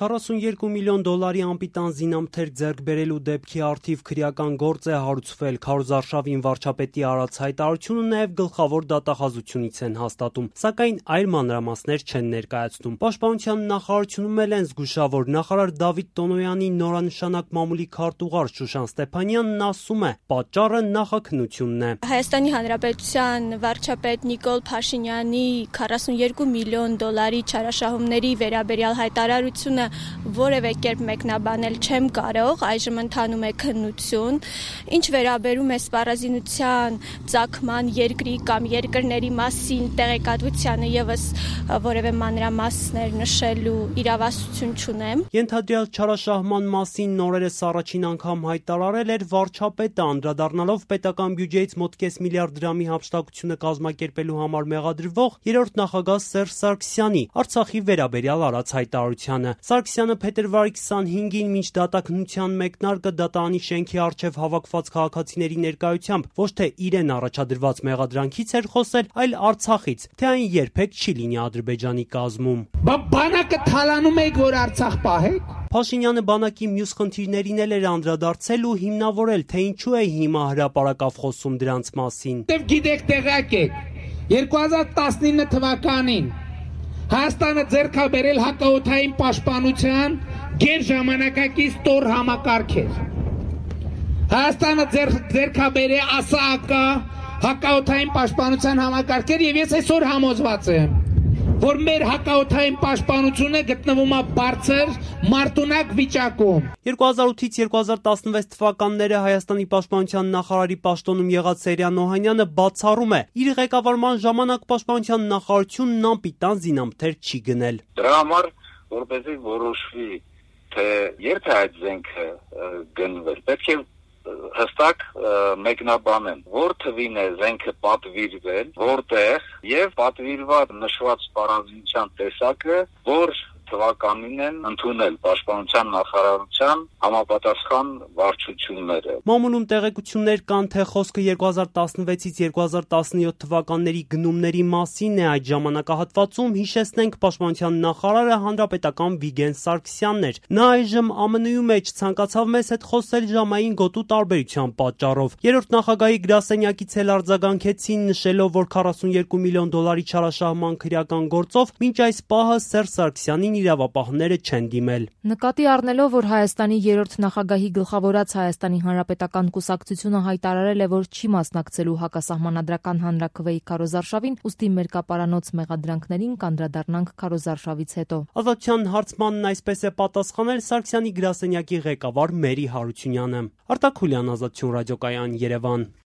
$42 միլիոն անպիտան զինամթերք ձեռք բերելու դեպքի առթիվ քրեական գործ է հարուցվել։ Քարոզարշավին վարչապետի արած հայտարարությունը նաև գլխավոր դատախազությունից են հաստատում, սակայն այլ մանրամասներ չեն ներկայացնում։ Պաշտպանության նախարարությունում էլ են զգուշավոր։ Նախարար Դավիթ Տոնոյանի նորանշանակ մամուլի քարտուղար Շուշան Ստեփանյանն ասում է՝ պատճառը նախաքննությունն է։ Հայաստանի Հանրապետության վարչապետ Նիկոլ Փաշինյանի $42 միլիոն չարաշահումների վերաբերյալ հայտարարությունը որևէ կերպ մեկնաբանել չեմ կարող, այժմ ընթանում է քննություն, ինչ վերաբերում է սպառազինության ծագման երկրի կամ երկրների մասին տեղեկատվությանը եւս որևէ մանրամասներ նշելու իրավասություն չունեմ։ Ենթադրյալ չարաշահման մասին նորերս առաջին անգամ հայտարարել էր վարչապետը, անդրադառնալով պետական բյուջեից մոտ կես միլիարդ դրամի հափշտակությունը կազմակերպելու համար մեղադրվող երրորդ նախագահ Սերժ Սարգսյանի Արցախի վերաբերյալ արած հայտարարությանը։ Սարգսյանը փետրվարի 25-ին մինչ դատաքննության մեկնարկը դատարանի շենքի առջև հավաքված քաղաքացիների ներկայությամբ ոչ թե իրեն առաջադրված մեղադրանքից էր խոսել, այլ Արցախից, թե այն երբեք չի լինի Ադրբեջանի կազմում։ Բանակը թալանում եք, որ Արցախ պահեք։ Փաշինյանը բանակի մյուս խնդիրներին էլ էր անդրադարձել ու հիմնավորել, թե ինչու է հիմա հրապարակավ խոսում դրանց մասին։ Գիտեք, տեղյակ եք, 2019 թվականին Հայաստանը ձեռք է բերել հակաօդային պաշտպանության գերժամանակակից տոր համակարգ էր։ Հայաստանը ձեռք է բերել ԱՍԱԱԿ հակաօդային պաշտպանության համակարգեր եւ ես այսօր համոզված եմ, որ մեր հակաօդային պաշտպանությունը գտնվում է բարձր մարտունակ վիճակում։ 2008-ից 2016 թվականները Հայաստանի պաշտպանության նախարարի պաշտոնում եղած Սերյան Օհանյանը բացառում է, իր ղեկավարման ժամանակ պաշտպանության նախարարությունն անպիտան զինամթերք չի գնել։ Դրա համար, որպեսզի որոշվի, թե երբ է այդ զենքը գնվել, պետք է հստակ մեկնաբանեն, որ թվին է զենքը պատվիրվել, որտեղ եւ պատվիրված նշված սպառազինության տեսակը, որ թվականին են ընդունել պաշտպանության նախարարության համապատասխան վարչությունները։ Մամուլում տեղեկություններ կան, թե խոսքը 2016-ից 2017 թվականների գնումների մասին է։ Այդ ժամանակահատվածում, հիշեցնենք, պաշտպանության նախարարը հանրապետական Վիգեն Սարգսյանն էր։ Նա այժմ ԱՄՆ-ում մեջ ցանկացավ մեզ հետ խոսել ժամային գոտու տարբերության պատճառով։ Երրորդ նախագահի գրասենյակից էլ արձագանքեցին, նշելով, որ $42 միլիոն չարաշահման քրեական գործով մինչ այս պահը Սերժ Սարգսյանին իրավապահները չեն դիմել։ Նկատի առնելով, որ Հայաստանի երրորդ նախագահի գլխավորած Հայաստանի Հանրապետական կուսակցությունը հայտարարել է, որ չի մասնակցելու հակասահմանադրական հանրաքվեի քարոզարշավին, ուստի մերկապարանոց մեղադրանքներին կանդրադառնանք քարոզարշավից հետո։ Ազատության հարցմանն այսպես է պատասխանել Սարգսյանի գրասենյակի ղեկավար Մերի Հարությունյանը։ Արտակ Խուլյան, Ազատություն ռադիոկայան, Երևան։